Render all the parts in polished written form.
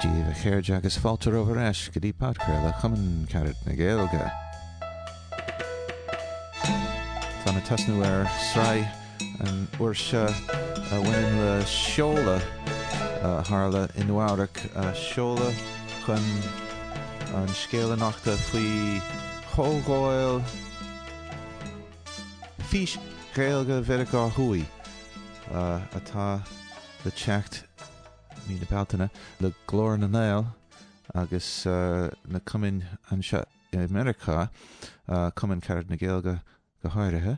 Dia daoibh a chairde agus fáilte romhaibh ar ais go dtí podchraoladh Chumann Carad na Gaeilge. Táim ag tosnú ar sraith an uair seo a bhaineann le seoladh a tharla i Nua Eabhrac, seoladh chun an scéal a nochtadh faoi chomhdháil Fís Ghaeilge Mheiriceá Thuaidh atá le teacht mí na Bealtaine le Glór na nGael agus na cumainn anseo i Meiriceá, Cumann Carad na Gaeilge go háirithe.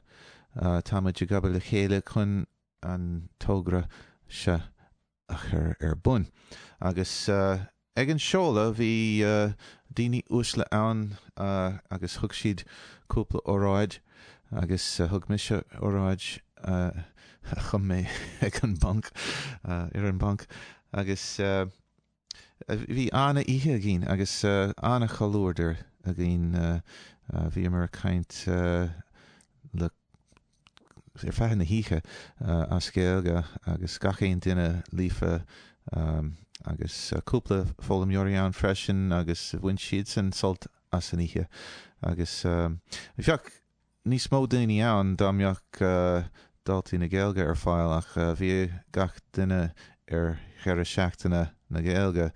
Tá muid ag obair le chéile chun an togra seo a chur ar bun. Agus ag an seoladh bhí daoine uaisle ann agus thug siad cúpla óráid agus thug mise óráid a chum mé ag an mbanc, ar an mbanc agus bhí an-oíche againn agus an-chomhluadar againn. Bhíomar ag caint le ar feadh na hoíche as Gaeilge agus gach aon duine líofa agus cúpla foghlaimeoirí ann freisin agus bhain siadsan sult as an oíche agus bheadh níos mó daoine ann dá mbeadh Daltaí na Gaeilge ar fáil ach bhí gach duine ar dheireadh seachtaine na Gaeilge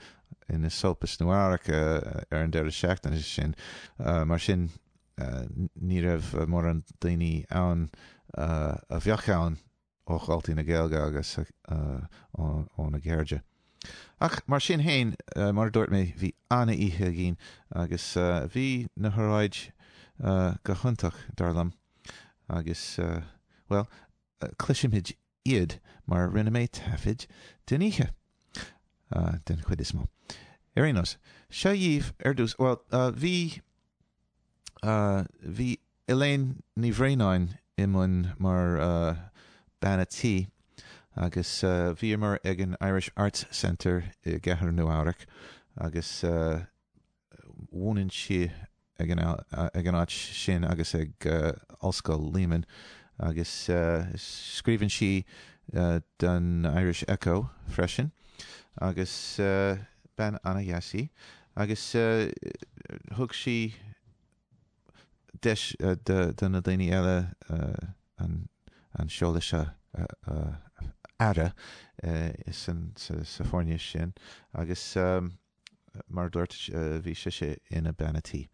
in Esopus Nua Eabhrac ar an deireadh seachtaine sin mar sin ní raibh mórán daoine ann a bheadh ann ó Dhaltaí na Gaeilge agus óna gcairde. Ach mar sin féin, mar a dúirt mé, bhí an-oíche againn agus bhí na hóráid go hiontach, dar liom, agus, bhuel, cloisfimid iad mar rinne mé taifead den oíche, den chuid is mó. Ar aon nós, seo dhaoibh ar dtús, bhuel, bhí, bhí Elaine Ní Bhraonáin i mbun mar bean a' tí agus bhíomar ag an Irish Arts Centre i gcathair Nua Eabhrac agus mhúineann sí ag an ag an áit sin agus ag Ollscoil Lehman agus scríobhann sí don Irish Echo freisin agus bean an-dheas í agus thug sí deis do na daoine eile an seoladh seo a fhaire sa foirne sin agus mar a dúirt bhí sise ina bean a' tí.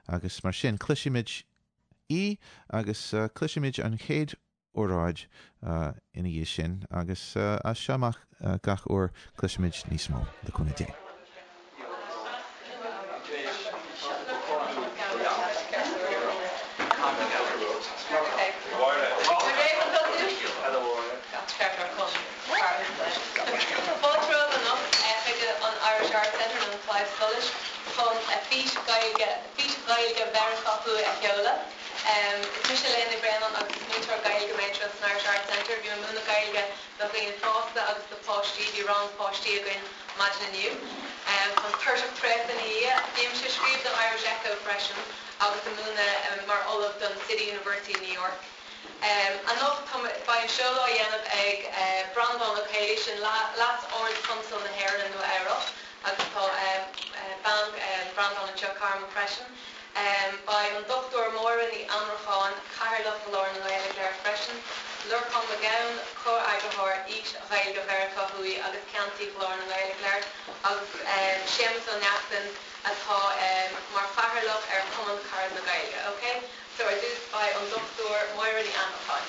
Agus mar sin cloisfimid í agus cloisfimid an chéad óráid ina dhiaidh sin agus as seo amach gach uair cloisfimid níos mó, le cúnamh Dé. Fáilte romhaibh anocht chuig an Irish Arts Centre nó an Claidheamh Soluis chun Fís Ghaeilge Fís Ghaeilge Mheiriceá Thuaidh a sheoladh. Is mise Elaine Ní Bhraonáin agus is múinteoir Gaeilge mé anseo san Irish Arts Centre. Bím ag múineadh Gaeilge do dhaoine fásta agus do pháistí. Bhí rang páistí againn maidin inniu. Táim tuirseach traochta ina dhiaidh. Bímse ag scríobh don Irish Echo freisin agus ag múineadh mar ollamh don City University New York. Anocht tá, beidh an seoladh á dhéanamh ag Breandán Ó Caollaí, sin Leas-Ard-Chonsal na hÉireann i Nua Eabhrac agus tá bean Breandán anseo, Carmen, freisin. Beidh an Dr Máire Ní Annracháin, Cathaoirleach Ghlór na nGael ag labhairt freisin, Lorcán Mac Gabhann, Comh-eagarthóir Fhís Ghaeilge Mheiriceá Thuaidh agus Ceannasaí Ghlór na nGael ag labhairt agus Séamus Ó Neachtain atá mar Chathaoirleach ar Chumann Carad na Gaeilge. Ok, so ar dtús beidh an Dr Máire Ní Annracháin.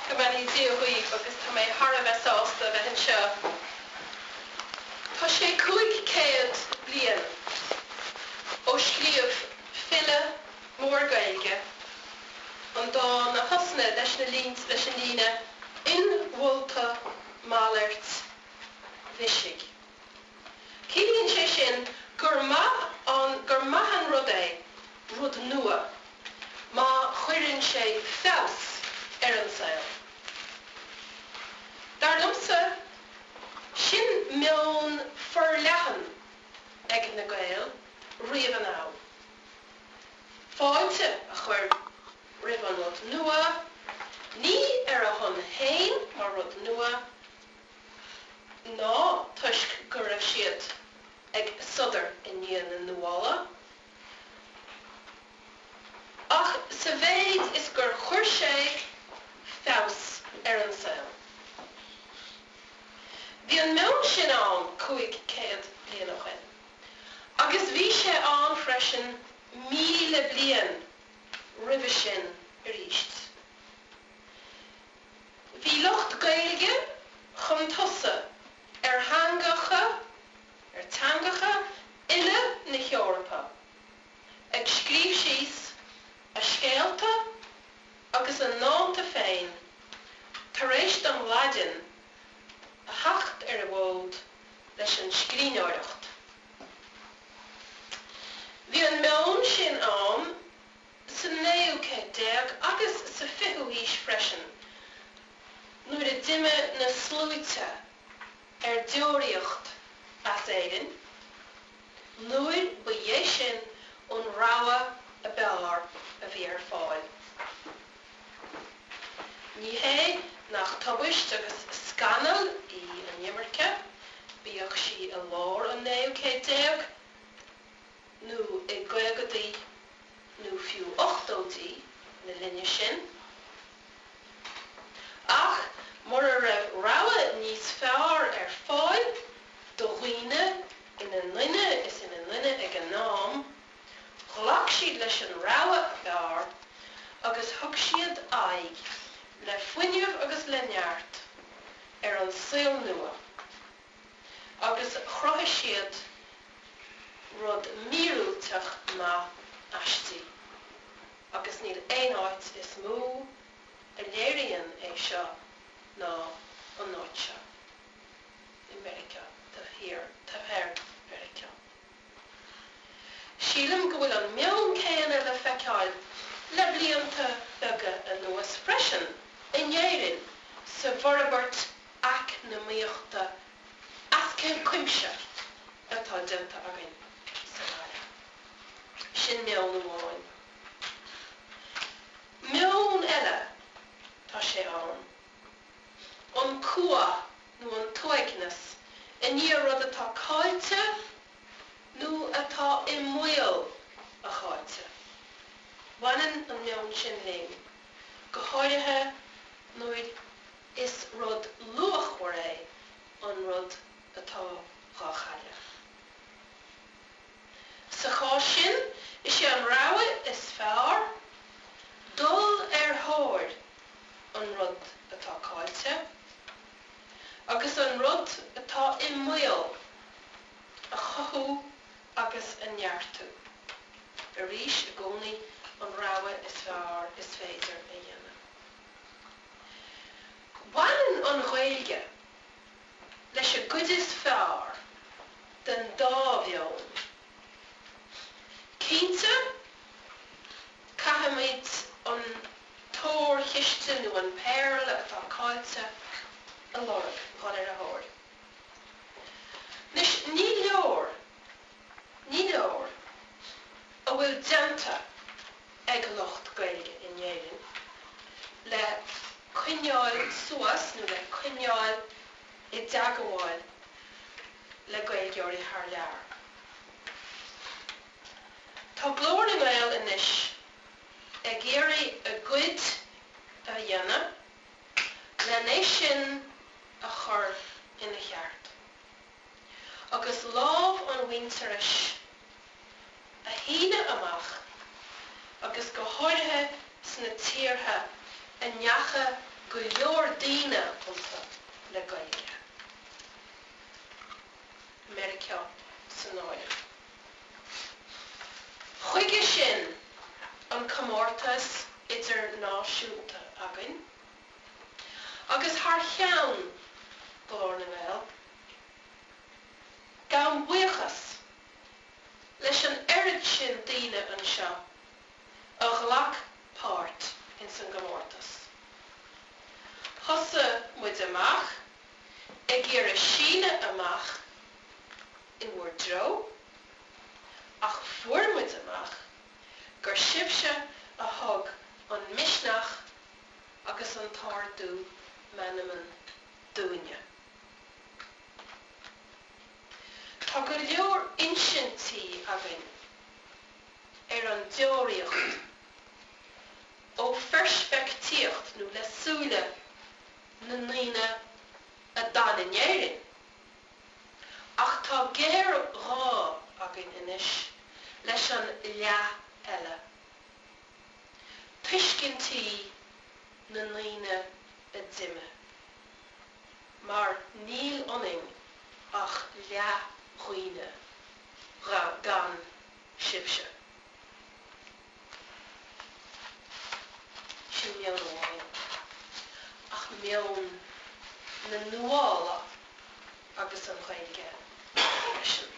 Go mbeannaí Dia dhaoibh agus tá mé thar a bheith sásta a bheith anseo. Tá sé 500 bliain ó scríobh file mór Gaeilge an dán a thosnaigh leis na leis an líne 'Inmholta malairt bhisigh'. Ciallaíonn sé sin gur maith an gur maith an rud é rud nua má chuireann sé feabhas ar an saol. Dar liomsa, sin meon forleathan ag na Gaeil riamh anall. Fáilte a chur roimh an rud nua, ní ar a shon féin mar rud. ama ná toisc go raibh siad ag sodar i ndiaidh na nuála, ach sa mhéid is gur chuir sé feabhas ar an saol. Bhí an meon sin ann 500 bliain ó shin, agus bhí sé ann freisin 1,000 bliain roimhe sin arís. Bhí lucht Gaeilge chun tosaigh ar theangacha, ar teangacha uile na hEorpa, ag scríobh síos a scéalta agus a ndánta féin tar éis don Laidin a theacht ar an bhfód leis an scríbhneoireacht. Bhí an meon sin ann sa naoú céad déag agus sa fichiú haois freisin nuair a d'imigh na sluaite ar deoraíocht as Éirinn, nuair ba é sin an rogha ab fhearr a bhí ar fáil. Ní hé nach tubaist agus scannal í an imirce, bíodh sí i lár an naoú céad déag nó i gcaogaidí nó fiú ochtóidí na linne sin, ach mura raibh rogha níos fearr ar fáil do dhaoine ina nduine is ina nduine ag an am, ghlac siad leis an rogha ab fhearr agus thug siad aghaidh le fuinneamh agus le neart ar an saol nua agus chruthaigh siad rud míorúilteach maith aisti agus níl aon áit is mó a léiríonn é seo ná an áit seo i Meiriceá, taobh thiar, taobh thoir Mheiriceá. Sílim go bhfuil an meon céanna le feiceáil le blianta beaga anuas freisin in Éirinn sa bhforbairt eacnamaíochta as cuimse atá déanta againn sa bhaile. Sin meon amháin. Meon eile, tá sé ann. An cumha nó an t-uaigneas i ndiaidh rud atá caillte nó atá i mbaol a chaillte. Baineann an meon sin linn, go háirithe nuair is rud luachmhar é an rud atá dhá chailleadh. Sa chás sin, is é an rogha is fearr dul ar thóir an rud atá caillte agus an rud atá i mbaol a chothú agus a neartú. Arís, i gcónaí an rogha is fearr is féidir a dhéanamh. Baineann an Ghaeilge leis an gcuid is fearr den dá mheon. Cinnte, caithfimid an t-órchiste nó an péarla atá caillte a lorg, dhul ar a thóir. Anois, ní leor, ní leor a bhfuil déanta ag lucht Gaeilge in Éirinn le coinneáil suas nó le coinneáil i dteagmháil le Gaeilgeoirí thar lear. Tá Glór na nGael anois ag iarraidh a gcuid a dhéanamh len é sin a chur ina cheart agus lámh an mhuintearais a shíneadh amach agus go háirithe sna tíortha a ndeacha go leor daoine iontu le Gaeilge, Meiriceá san áireamh. Chuige sin an comórtas idirnáisiúnta againn agus thar cheann Ghlór na nGael, gabhaim buíochas leis an oiread sin daoine anseo a ghlac páirt ins an gcomórtas. Thosaigh muid amach ag iarraidh síneadh amach i bhur dtreo, ach fuair muid amach gur sibhse a thug an misneach agus an t-ardú meanman. dúinne. Tá go leor insintí againn ar an deoraíocht ó pheirspictíocht nó le súile na ndaoine a d'fhan in Éirinn. Ach tá géarghá againn anois leis an leath eile, tuiscintí na ndaoine a d'imigh, mar níl ionainn ach leathdhaoine gan sibhse. Sin meon amháin. Ach meon na nuála agus an Ghaeilge freisin.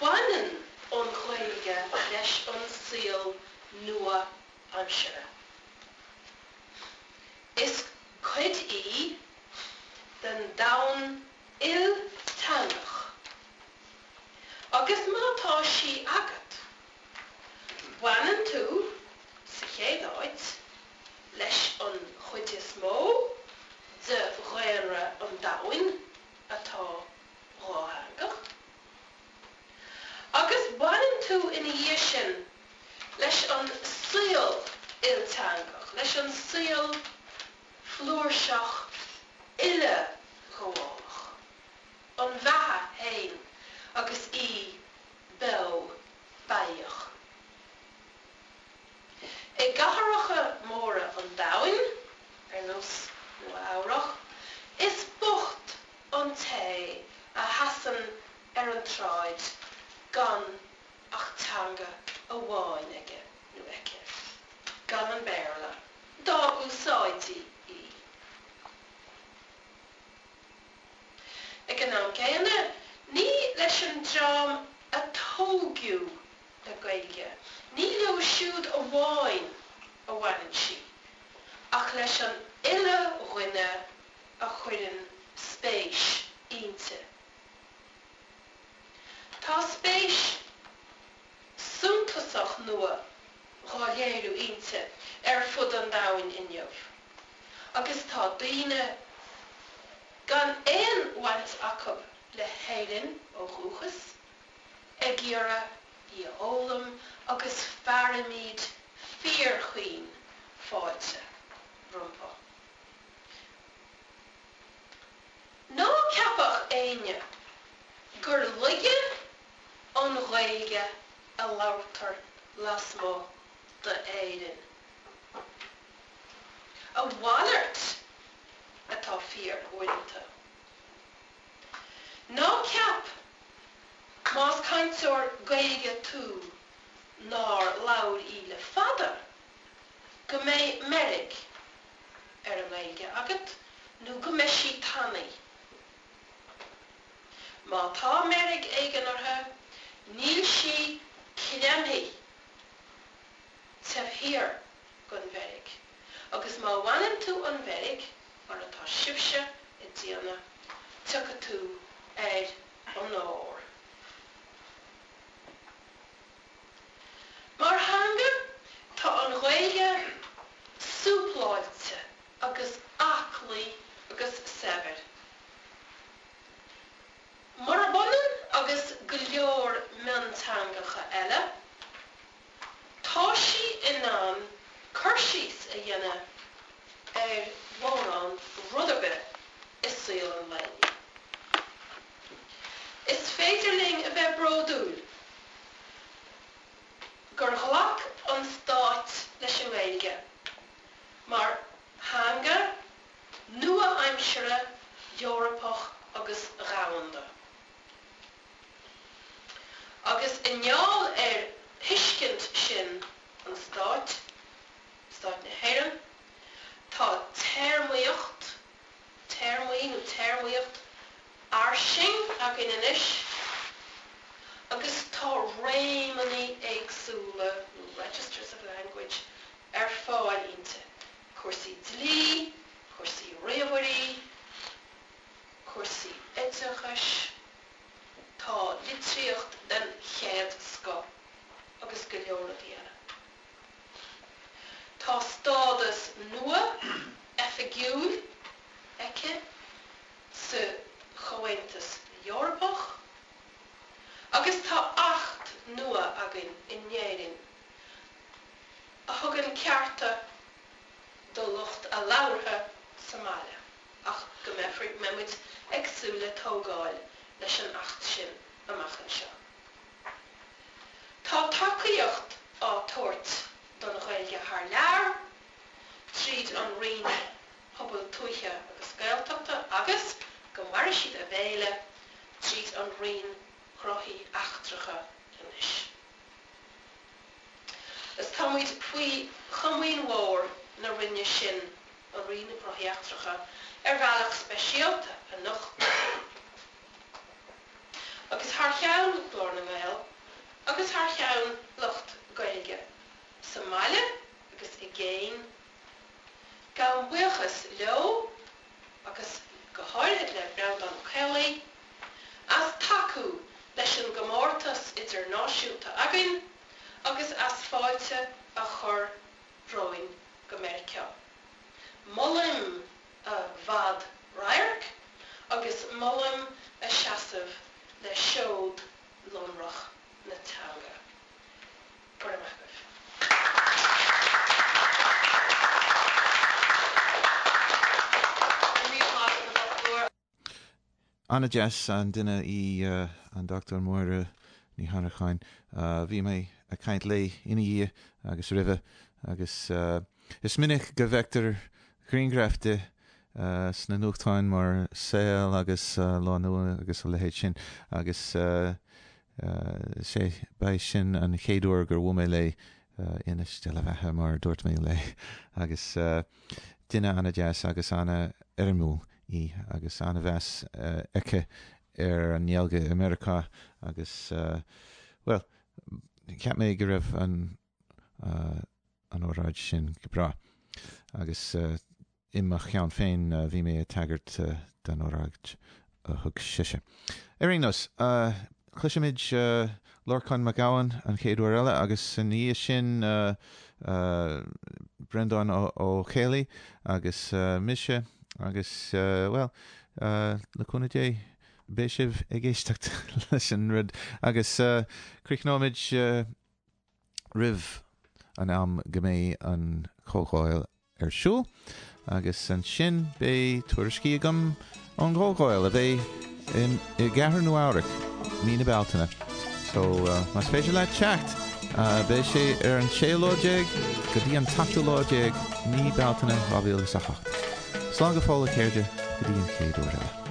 Baineann an Ghaeilge leis an saol nua-aimseartha. Is cuid í den domhan ilteangach. Agus má tá sí agat, baineann tú, sa chéad áit, leis an chuid is mó de dhaonra an domhain atá dhátheangach. Agus baineann tú ina dhiaidh sin leis an saol ilteangach, leis an saol flúirseach uileghabhálach, an bheatha féin agus í beo beathach. I gcathracha móra an domhain, ar nós Nua Eabhrach, is bocht an té a sheasann ar an tsráid gan ach teanga amháin aige nó aici, gan an Béarla, dá úsáidtí í. Ag an am céanna, ní leis an dream a tógadh le Gaeilge, ní leo siúd amháin a bhaineann sí, ach leis an uile dhuine a chuireann spéis inti. Tá spéis suntasach nua dhá léiriú inti ar fud an domhain inniu, agus tá daoine gan aon bhaint acu le hÉirinn ó dhúchas ag iarraidh í a fhoghlaim agus fearaimid fíorchaoin fáilte rompu. Ná ceapadh éinne gur laige an Ghaeilge a labhartar lasmuigh d'Éirinn. A mhalairt atá fíor uaireanta. Ná ceap, más cainteoir Gaeilge tú nár labhair í le fada, go mbeidh meirg ar an nGaeilge agat nó go mbeidh sí tanaí. Má tá meirg éigin uirthi, níl sí creimthe taobh thiar den mheirg. Agus má bhaineann tú an mheirg, mar atá sibhse ag déanamh, tiocfaidh tú ar onóir. Mar theanga, tá an Ghaeilge súpláilte agus aclaí agus saibhir. Murab ionann agus go leor mionteangacha eile, tá sí in ann cur síos a dhéanamh ar mhórán rud ar bith i saol an lae inniu. Is féidir linn a bheith bródúil gur ghlac an Stát leis an nGaeilge mar theanga nua-aimseartha Eorpach agus dhomhanda. Agus i ngeall ar thuiscint sin an Stáit, Stát na hÉireann, tá téarmaíocht, téarmaí nó téarmaíocht fhairsing againn anois agus tá réimeanna éagsúla nó registers of language ar fáil inti, cúrsaí dlí, cúrsaí ríomhairí, cúrsaí oideachais, tá litríocht den chéad scoth agus go leor rudaí eile. Tá stádas nua oifigiúil. do lucht a labhartha sa mbaile ach go mbeifear, mbeidh muid ag súil le tógáil leis an Acht sin amach anseo. Tá tacaíocht á tabhairt don Ghaeilge thar lear tríd an Roinn Pobail Tuaithe agus Gaeltachta agus, go maire siad a bhféile, tríd an Roinn Gnóthaí Eachtracha anois. Is tá muid faoi chomaoin mhór na Roinne sin, an Roinn Gnóthaí Eachtracha, ar bhealach speisialta anocht. Agus thar cheann Ghlór na nGael agus thar cheann lucht Gaeilge sa mbaile agus i gcéin, gabhaim buíochas leo agus go háirithe le Breandán Ó Caollaí, as tacú leis an gcomórtas idirnáisiúnta againn agus as fáilte a chur romhainn go Meiriceá. Molaim a bhfad radhairc agus molaim a seasamh le seod lonrach na teanga. Go raibh maith agaibh. Go raibh míle maith agat, a Dhochtúir. An-deas an duine í an Dr Máire Ní hAnnracháin. Bhí mé ag caint léi ina dhiaidh agus roimhe agus is minic go bhfeictear grianghraif di sna nuachtáin mar Saol agus Lá Nua agus a leithéid sin agus is é, ba é sin an chéad uair gur bhuail mé léi inis de la bheatha mar a dúirt mé léi agus duine an-deas agus an-éirimiúil í agus an-mheas aici ar an nGaeilge i Meiriceá agus, bhuel, cheap mé go raibh an an óráid sin go breá agus i mo cheann féin bhí mé ag tagairt don óráid a thug sise. Ar aon nós, cloisfimid Lorcán Mac Gabhann an chéad uair eile agus ina dhiaidh sin Breandán Ó Caollaí agus mise agus, bhuel, le cúnamh Dé, beidh sibh ag éisteacht leis an rud agus críochnóimid roimh an am go mbeidh an chomhdháil ar siúl agus ansin beidh tuairiscí agam ón gcomhdháil a bheidh i gCathair Nua Eabhrac mí na Bealtaine. So más féidir leat teacht, beidh sé ar an séú lá déag go dtí an tseachtú lá déag mí Bealtaine 2008. Slán go fóill a chairde go dtí an chéad uair eile.